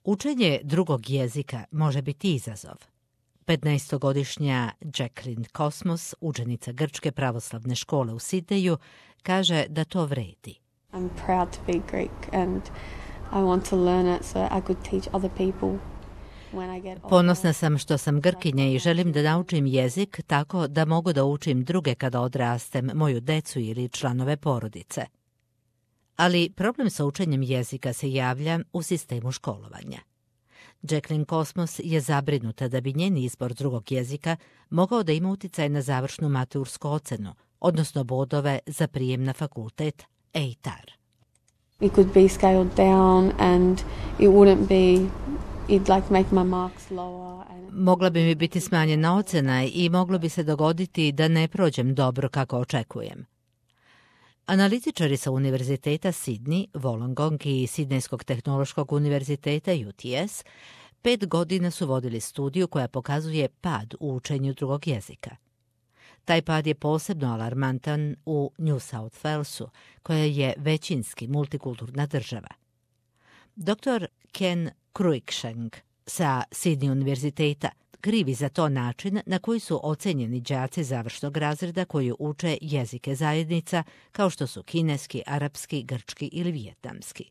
Učenje drugog jezika može biti izazov. 15-godišnja Jacqueline Cosmos, učenica Grčke pravoslavne škole u Sidneju, kaže da to vredi. I'm proud to be Greek and I want to learn it so I could teach other people. Ponosna sam što sam Grkinja i želim da naučim jezik tako da mogu da učim druge kada odrastem, moju decu ili članove porodice. Ali problem sa učenjem jezika se javlja u sistemu školovanja. Jacqueline Cosmos je zabrinuta da bi njen izbor drugog jezika mogao da ima uticaj na završnu matursku ocenu, odnosno bodove za prijem na fakultet EITAR. It could be scaled down and it wouldn't be, it'd like make my marks lower. Mogla bi mi biti smanjena ocena i moglo bi se dogoditi da ne prođem dobro kako očekujem. Analitičari sa Univerziteta Sidney, Wollongong i Sidnejskog tehnološkog univerziteta UTS 5 godina su vodili studiju koja pokazuje pad u učenju drugog jezika. Taj pad je posebno alarmantan u New South Walesu, koja je većinski multikulturna država. Dr. Ken Cruikshank sa Sidney univerziteta krivi za to način na koji su ocenjeni đaci završnog razreda koji uče jezike zajednica kao što su kineski, arapski, grčki ili vijetnamski.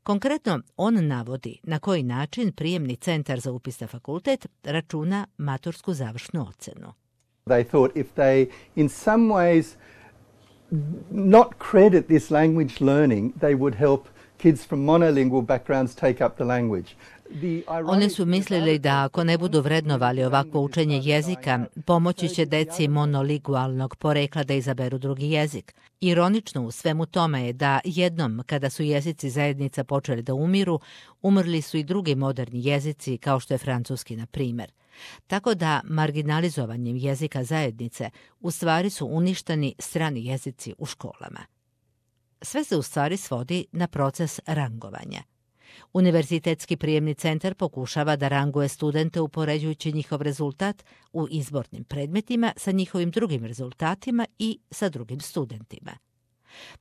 Konkretno, on navodi na koji način prijemni centar za upis na fakultet računa matursku završnu ocenu. They thought if they in some ways not credit this language learning, they would help kids from monolingual backgrounds take up the language. Oni su mislili da ako ne budu vrednovali ovakvo učenje jezika, pomoći će deci monolingualnog porekla da izaberu drugi jezik. Ironično u svemu tome je da jednom kada su jezici zajednica počeli da umiru, umrli su i drugi moderni jezici kao što je francuski na primjer. Tako da marginalizovanjem jezika zajednice u stvari su uništeni strani jezici u školama. Sve se u stvari svodi na proces rangovanja. Univerzitetski prijemni centar pokušava da ranguje studente upoređujući njihov rezultat u izbornim predmetima sa njihovim drugim rezultatima i sa drugim studentima.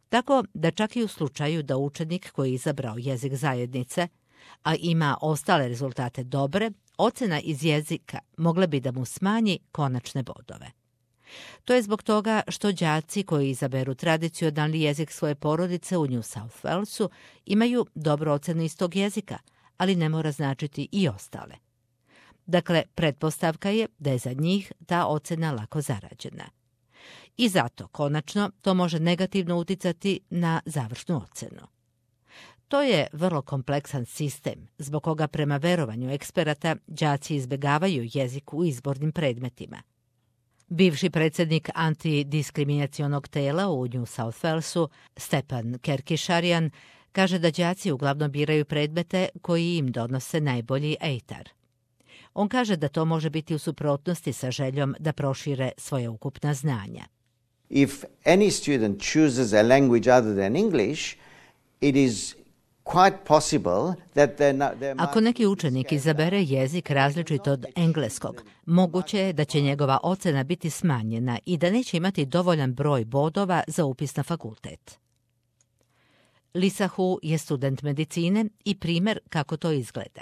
Tako da čak i u slučaju da učenik koji je izabrao jezik zajednice, a ima ostale rezultate dobre, ocena iz jezika mogla bi da mu smanji konačne bodove. To je zbog toga što đaci koji izaberu tradicionalni jezik svoje porodice u New South Walesu imaju dobru ocenu iz tog jezika, ali ne mora značiti i ostale. Dakle, pretpostavka je da je za njih ta ocena lako zarađena. I zato, konačno, to može negativno uticati na završnu ocenu. To je vrlo kompleksan sistem, zbog koga prema verovanju eksperata đaci izbjegavaju jezik u izbornim predmetima. Bivši predsjednik antidiskriminacionog tela u New South Walesu, Stepan Kerkisharian, kaže da đaci uglavnom biraju predmete koji im donose najbolji EITAR. On kaže da to može biti u suprotnosti sa željom da prošire svoje ukupna znanja. If any student chooses a language other than English, it is quite possible that Ako neki učenik izabere jezik različit od engleskog, moguće je da će njegova ocena biti smanjena i da neće imati dovoljan broj bodova za upis na fakultet. Lisa Hu je student medicine i primjer kako to izgleda.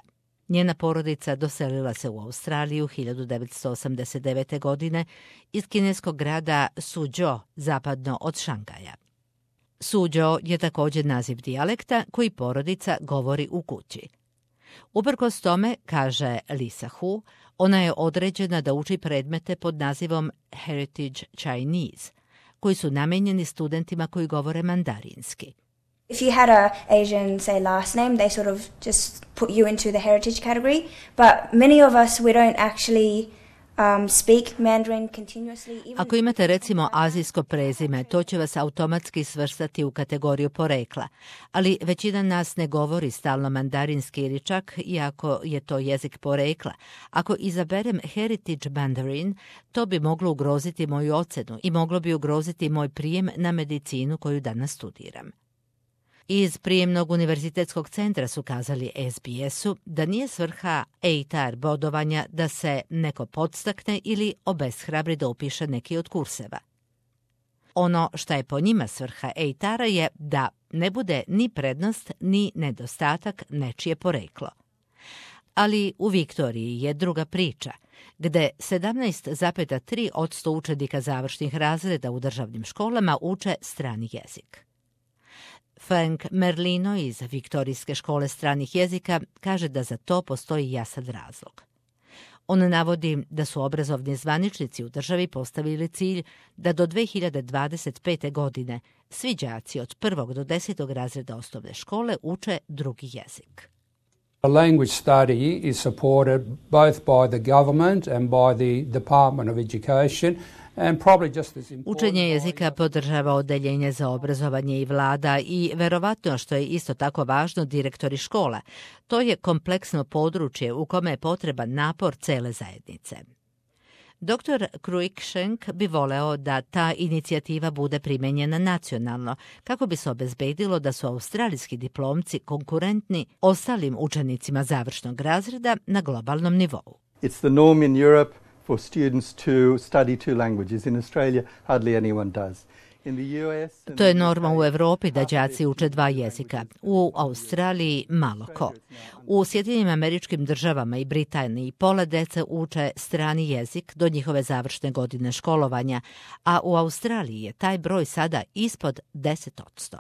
Njena porodica doselila se u Australiju 1989. godine iz kineskog grada Suzhou, zapadno od Šangaja. Suzhou je također naziv dijalekta koji porodica govori u kući. Uprkos tome, kaže Lisa Hu, ona je određena da uči predmete pod nazivom Heritage Chinese, koji su namenjeni studentima koji govore mandarinski. If you had a Asian, say, last name, they sort of just put you into the heritage category. But many of us, we don't actually speak Mandarin continuously. Ako imate recimo azijsko prezime, to će vas automatski svrstati u kategoriju porekla, ali većina nas ne govori stalno mandarinski ili čak, iako je to jezik porekla. Ako izaberem Heritage Mandarin, to bi moglo ugroziti moju ocenu i moglo bi ugroziti moj prijem na medicinu koju danas studiram. Iz prijemnog univerzitetskog centra su kazali SBS-u da nije svrha EITAR bodovanja da se neko podstakne ili obeshrabri da upiše neki od kurseva. Ono što je po njima svrha EITAR-a je da ne bude ni prednost ni nedostatak nečije poreklo. Ali u Viktoriji je druga priča, gde 17,3% učenika završnih razreda u državnim školama uče strani jezik. Frank Merlino iz Viktorijske škole stranih jezika kaže da za to postoji jasan razlog. On navodi da su obrazovni zvaničnici u državi postavili cilj da do 2025. godine svi đaci od 1. do 10. razreda osnovne škole uče drugi jezik. A language study is supported both by the government and by the Department of Education. Učenje jezika podržava Odeljenje za obrazovanje i vlada i verovatno što je isto tako važno direktori škola. To je kompleksno područje u kome je potreban napor cele zajednice. Dr. Cruikshank bi voleo da ta inicijativa bude primenjena nacionalno, kako bi se obezbedilo da su australijski diplomci konkurentni ostalim učenicima završnog razreda na globalnom nivou. It's the norm in Europe for students to study two languages. In Australia, hardly anyone does. To je norma u Evropi da đaci uče dva jezika. U Australiji malo ko. U Sjedinjenim Američkim Državama i Britaniji pola dece uče strani jezik do njihove završne godine školovanja, a u Australiji je taj broj sada ispod 10%.